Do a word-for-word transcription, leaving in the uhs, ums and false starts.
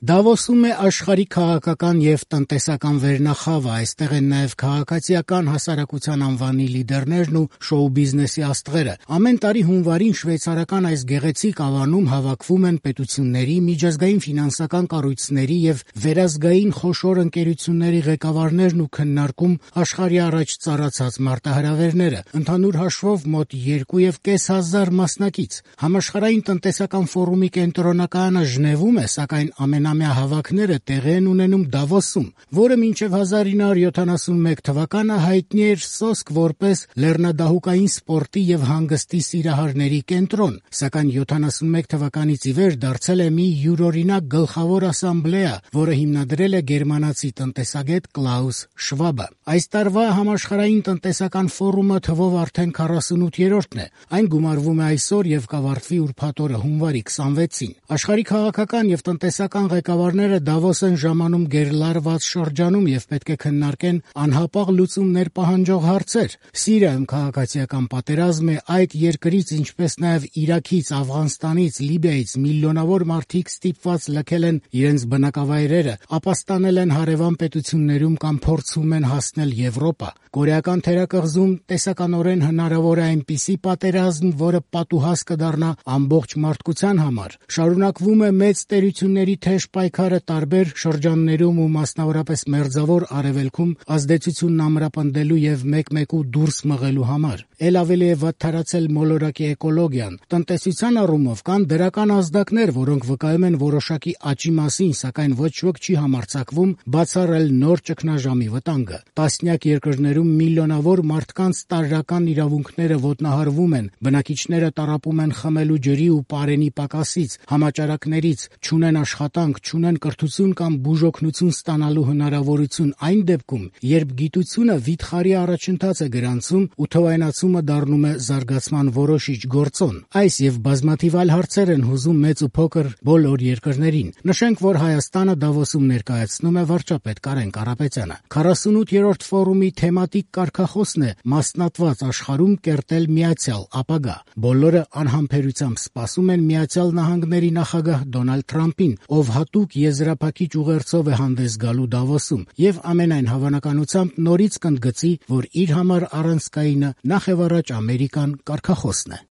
Դավոսում է աշխարհի քաղաքական եւ տնտեսական վերնախավը, այստեղ են նաեւ քաղաքացիական հասարակության անվանի լիդերներն ու շոու բիզնեսի աստղերը։ Ամեն տարի հունվարին շվեյցարական այս գեղեցիկ ավանում հավաքվում են պետությունների, միջազգային ֆինանսական կառույցների եւ վերազգային խոշոր ընկերությունների ղեկավարներն ու քննարկում աշխարհի առաջ ծառացած մարտահրավերները։ Ընդհանուր հաշվով մոտ երկու եւ կես հազար մասնակից։ Համաշխարհային տնտեսական ֆորումի կենտրոնակայանը Ժնևում է, սակայն ամենամյա հավաքները տեղի են ունենում Դավոսում, որը մինչև հազար ինը հարյուր յոթանասունմեկ թվականը հայտնի էր սոսկ որպես լեռնադահուկային սպորտի եւ հանգստի սիրահարների կենտրոն, սակայն յոթանասունմեկ թվականից ի վեր դարձել է մի յուրօրինակ գլխավոր ասամբլեա, որը հիմնադրել է գերմանացի տնտեսագետ Կլաուս Շվաբը։ Այս տարվա համաշխարհային տնտեսական ֆորումը թվով արդեն քառասունութերորդն է։ Այն գումարվում է այսօր եւ կավարտվի ուրբաթ օրը հունվարի քսանվեցին։ Աշխարհի քաղաքական եւ տնտեսական ղեկավարները Դավոս են ժամանում գերլարված շրջանում եւ պետք է քննարկեն անհապաղ լուծումներ պահանջող հարցեր։ Սիրիայում քաղաքացիական պատերազմ է, այդ երկրից, ինչպես նաեւ Իրաքից, Աֆղանստանից, Լիբիայից միլիոնավոր մարդիկ ստիպված լքել են իրենց բնակավայրերը, ապաստանել են հարևան պետություններում կամ փորձում են հասնել Եվրոպա։ Կորեական թերակղզում տեսականորեն հնարավոր է այնպիսի պատերազմ, որը պատուհաս կդառնա ամբողջ մարդկության համար։ Շարունակվում է մեծ տերությունների թեժ պայքարը տարբեր շրջաններում ու մասնավորապես Մերձավոր Արևելքում ազդեցությունն ամրապնդելու եւ մեկ-մեկու դուրս մղելու համար։ Էլ ավելի է վատթարացել մոլորակի էկոլոգիան։ Տնտեսության առումով կան դրական ազդակներ, որոնք վկայում են որոշակի աճի մասին, սակայն ոչ ոք չի համարձակվում բացառել նոր ճգնաժամի վտանգը։ Տասնյակ երկրներում միլիոնավոր մարդկանց տարրական իրավունքները ոտնահարվում են, բնակիչները տառապում են խմելու ջրի ու պարենի պակասից, համաճարակներից, չունեն աշխատանք, չունեն կրթություն կամ բուժօգնություն ստանալու հնարավորություն այն դեպքում, երբ գիտությունը վիթխարի առաջընթաց է գրանցում ու թվայնացումը դառնում է զարգացման որոշիչ գործոն։ Այս եւ բազմաթիվ այլ հարցեր են հուզում մեծ ու փոքր բոլոր երկրներին։ Նշենք, որ Հայաստանը Դավոսում ներկայացնում է վարչապետ Կարեն Կարապետյանը։ քառասունութերորդ ֆորումի թեմատիկ կարգախոսն է մասնատված աշխարհում կերտել միացյալ ապագա։ Բոլորը անհամբերությամբ սպասում են Միացյալ Նահանգների նախագահ Դոնալդ Թրամփին, ով հատուկ եզրափակիչ ուղերձով է հանդես գալու Դավոսում եւ ամենայն հավանականությամբ նորից կընդգծի, որ իր համար առանցքայինը նախ եւ առաջ Ամերիկան կարգախոսն է։